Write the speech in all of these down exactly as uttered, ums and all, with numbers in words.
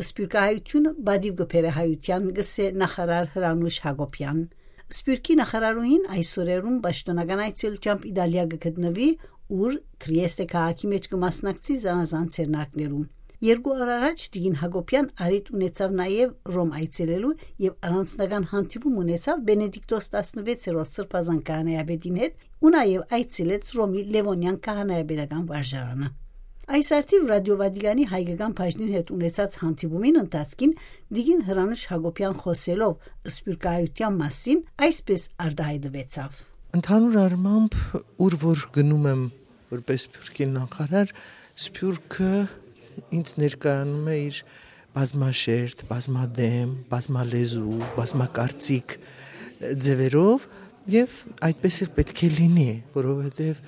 Սփիւռքահայութիւնը պատիւ կը բերէ հայութեան, կ'ըսէ նախարար Հրանուշ Յակոբեան։ Սփիւռքի նախարարուհին այս օրերուն պաշտօնական այցելութեամբ Իտալիա կը գտնուի, ուր Տրիեստե քաղաքի մէջ կը մասնակցի զանազան ձեռնարկներու։ Երկու օր առաջ տիկին Յակոբեան առիթ ունեցաւ նաեւ Ռոմ այցելելու եւ առանձնական հանդիպում ունեցաւ Բենեդիկտոս տասնվեցերորդ Սրբազան քահանայապետին հետ ու նաեւ այցելեց Ռոմի Լեւոնեան քահանայապետական վարժարանը։ Այս արդիւ Ռադիօ Վատիկանի հայկական բաժնին հետ ունեցած հանդիպումին ընթացքին տիկին Հրանուշ Յակոբեան խօսելով սփիւռքահայութեան մասին այսպէս արտահայտուեցաւ. «Ընդհանուր առմամբ, ուր որ գնում եմ որպես Սփիւռքի նախարար, Սփիւռքը ինձ ներկայանում է իր բազմաշերտ, բազմադեմ, բազմալեզու, բազմակարծիք ձեւերով, եւ այդպես էլ պէտք է լինի, որովհետեւ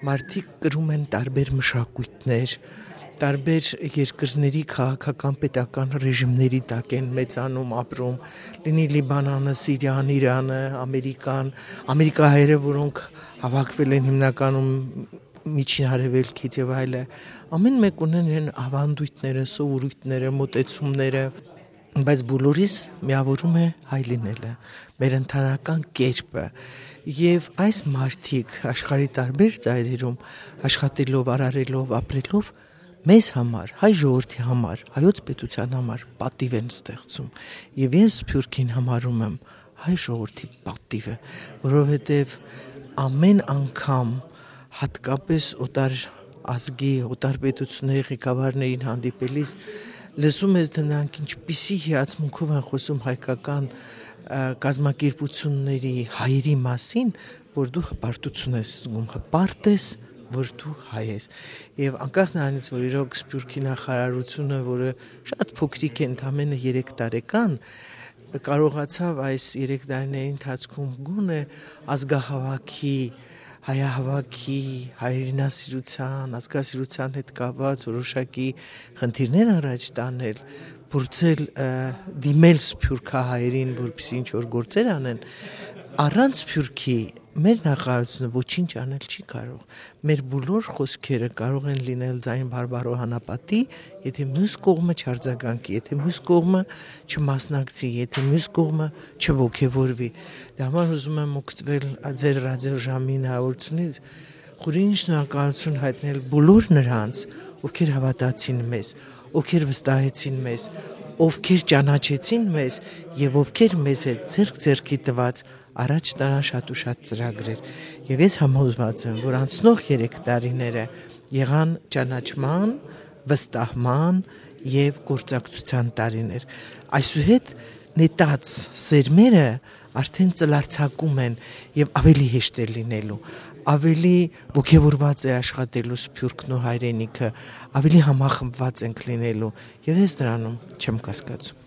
մարդիկ կրում են տարբեր մշակոյթներ, տարբեր երկրների քաղաքական, պետական ռեժիմների տակ են մեծանում, ապրում, լինի Լիբանանը, Սիրիան, Իրանը, Ամերիկան, ամերիկահայերը, որոնք հավաքվել են հիմնականում Միջին Արեւելքից եւ այլը, ամեն մէկ ունեն իրեն ավանդույթները, սովորույթները, մոտեցումները, բայց բոլորիս միաւորում է հայ լինելը, մեր ընդհանրական կերպը։ Եւ այս մարդիկ աշխարհի տարբեր ծայրերում աշխատելով, արարելով, ապրելով, մեզ համար, հայ ժողովրդի համար, հայոց պետության համար պատիվ են ստեղծում։ Եւ ես Սփիւռքին համարում եմ հայ ժողովրդի պատիվը, որովհետեւ ամեն անգամ, հատկապես օտար ազգի, օտար պետությունների ղեկավարներին հանդիպելիս, լսում ես, դրանք ինչպիսի հիացմունքով են խոսում հայկական, ը, կազմակերպությունների, հայերի մասին, որ դու հպարտություն ես զգում, հպարտ ես, որ դու հայ ես։ Եւ անկախ նրանից, որ իրոք Սփիւռքի նախարարությունը, որը շատ փոքրիկ է, ընդամենը երեք տարեկան, կարողացաւ այս երեք տարիների ընթացքում գոնե ազգահաւաքի, հայահաւաքի, հայրենասիրության, ազգասիրության հետ կապված որոշակի խնդիրներ առաջ տանել, փորձել, ը, դիմել սփիւռքահայերին, որպեսզի ինչ որ գործեր անեն, առանց Սփիւռքի մեր նախարարությունը ոչինչ անել չի կարող։ Մեր բոլոր խօսքերը կարող են լինել ձայն բարբարոյ անապատի, եթե մյուս կողմը չարձագանքի, եթե մյուս կողմը չմասնակցի, եթե մյուս կողմը չոգեւորուի։ Դե համար ուզում եմ օգտվել, ա, ձեր ռադիոժամին հաղորդությունից, խորին շնորհակալություն հայտնել բոլոր նրանց, ովքեր հավատացին մեզ, ովքեր վստահեցին մեզ, ովքեր ճանաչեցին մեզ եւ ովքեր մեզ հետ ձեռք ձեռքի տված առաջ տարան շատ ու շատ ծրագրեր։ Եվ ես համոզված եմ, որ անցնող երեք տարիները եղան ճանաչման, վստահման և գործակցության տարիներ։ Այսուհետ նետած սերմերը արդեն ծլարձակում են և ավելի հեշտ է լինելու, ավելի ոգևորված է աշխատելու սփյուռքն ու հայրենիքը, ավելի համախմբված ենք լինելու, և ես դրանում չեմ կասկածում։